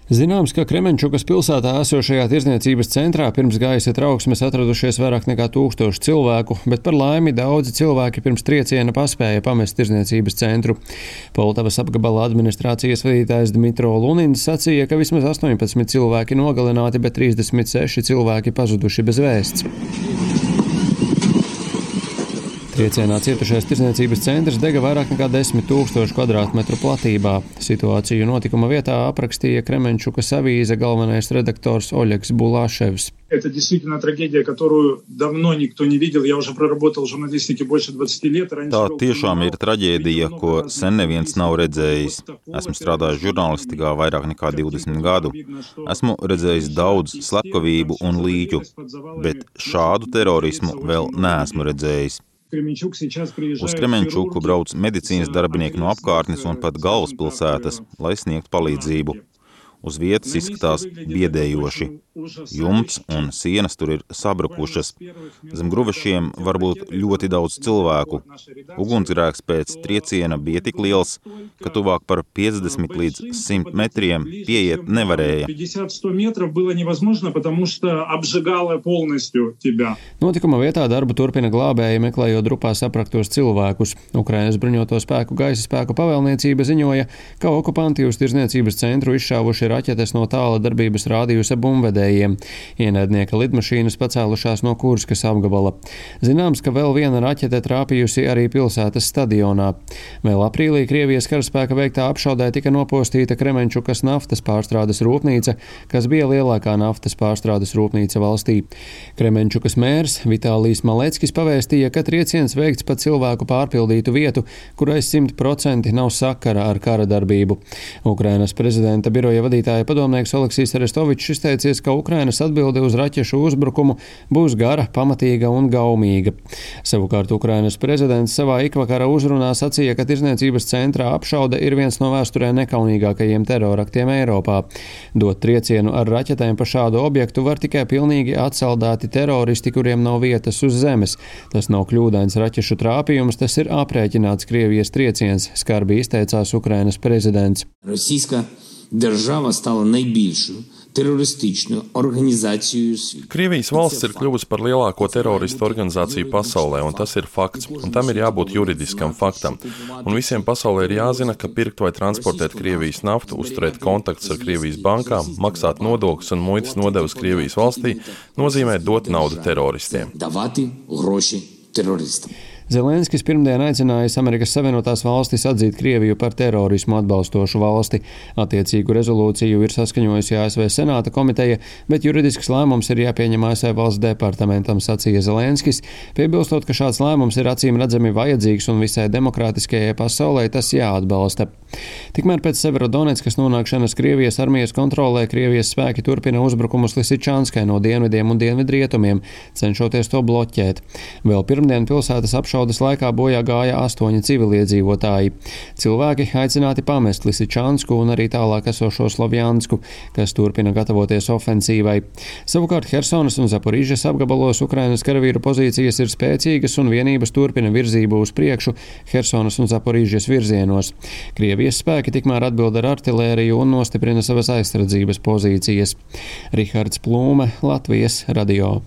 Zināms, ka Kremenčukas pilsētā esošajā tirdzniecības centrā pirms gaisa trauksmes atradušies vairāk nekā 1000 cilvēku, bet par laimi daudzi cilvēki pirms trieciena paspēja pamest tirdzniecības centru. Poltavas apgabala administrācijas vadītājs Dmitro Lunins sacīja, ka vismaz 18 cilvēki nogalināti, bet 36 cilvēki pazuduši bez vēsts. Triecienā cietušais tirdzniecības centrs dega vairāk nekā 10 000 kvadrātmetru platībā. Situāciju notikuma vietā aprakstīja Kremenčukas avīze galvenais redaktors Oļegs Bulāševs. Это действительно трагедия, которую давно никто не видел. Я уже проработал в журналистике больше 20 лет. Tā tiešām ir traģēdija, ko sen neviens nav redzējis. Esmu strādājis žurnālistikā vairāk nekā 20 gadu. Esmu redzējis daudz slepkavību un līķu, bet šādu terorismu vēl neesmu redzējis. Uz Kremenčuku brauc medicīnas darbinieki no apkārtnes un pat galvaspilsētas, lai sniegtu palīdzību. Uz vietas izskatās biedējoši. Jumts un sienas tur ir sabrukušas. Zem gruvešiem var būt ļoti daudz cilvēku. Ugunsgrēks pēc trieciena bija tik liels, ka tuvāk par 50 līdz 100 metriem pieiet nevarēja. Notikuma vietā darbu turpina glābēji, meklējot drupā sapraktos cilvēkus. Ukrainas bruņoto spēku gaisa spēku pavēlniecība ziņoja, ka okupanti uz tirdzniecības centru izšāvuši raķetes no tāla darbības rādījusa bumbvedējiem. Ienaidnieka lidmašīnas pacēlušās no Kurskas apgabala. Zināms, ka vēl viena raķete trāpījusi arī pilsētas stadionā. Vēl aprīlī Krievijas karaspēka veiktā apšaudē tika nopostīta Kremenčukas naftas pārstrādes rūpnīca, kas bija lielākā naftas pārstrādes rūpnīca valstī. Kremenčukas mērs Vitālijs Maleckis pavēstīja, ka trieciens veikts pa cilvēku pārpildītu vietu, kurai 100% nav sakara ar kara darbību. Ukrainas prezidenta biroja vadītāja padomnieks Oleksijs Arestovičs izteicies, ka Ukrainas atbilde uz raķešu uzbrukumu būs gara, pamatīga un gaumīga. Savukārt Ukrainas prezidents savā ikvakara uzrunā sacīja, ka tirdzniecības centrā apšaude ir viens no vēsturē nekaunīgākajiem teroraktiem Eiropā. Dot triecienu ar raķetēm pa šādu objektu var tikai pilnīgi atsaldēti teroristi, kuriem nav vietas uz zemes. Tas nav kļūdains raķešu trāpījums, tas ir aprēķināts Krievijas trieciens, skarbi izteicās Ukrainas prezidents. Держава стала найбільшою teroristisku organizāciju svītu. Krievijas valsts ir kļuvusi par lielāko teroristu organizāciju pasaulē, un tas ir fakts, un tam ir jābūt juridiskam faktam. Un visiem pasaulē ir jāzina, ka pirkt vai transportēt Krievijas naftu, uzturēt kontaktus ar Krievijas bankām, maksāt nodokļus un muitas nodevas Krievijas valstī nozīmē dot naudu teroristiem. Davati groši teroristam. Zelenskis pirmdien aicinājis Amerikas Savienotās valstis atzīt Krieviju par terorismu atbalstošu valsti. Attiecīgu rezolūciju ir saskaņojusi ASV Senāta komiteja, bet juridisks lēmums ir jāpieņem ASV valsts departamentam, sacīja Zelenskis, piebilstot, ka šāds lēmums ir acīm redzami vajadzīgs un visai demokrātiskajai pasaulē tas jāatbalsta. Tikmēr pēc Severodonetskas nonākšanas Krievijas armijas kontrolē Krievijas spēki turpina uzbrukumus Lisičanskai no dienvidiem un dienvidrietumiem, cenšoties to bloķēt. Vēl pirmdien pilsētas apšaudes laikā bojā gāja 8 civiliedzīvotāji. Cilvēki aicināti pamest Lisičansku un arī tālāk esošo Slovjansku, kas turpina gatavoties ofensīvai. Savukārt Hersonas un Zaporižas apgabalos Ukrainas karavīru pozīcijas ir spēcīgas un vienības turpina virzību uz priekšu Hersonas un Zaporižas virzienos. Krievijas spēki tikmēr atbild ar artilēriju un nostiprina savas aizsardzības pozīcijas. Rihards Plūme, Latvijas radio.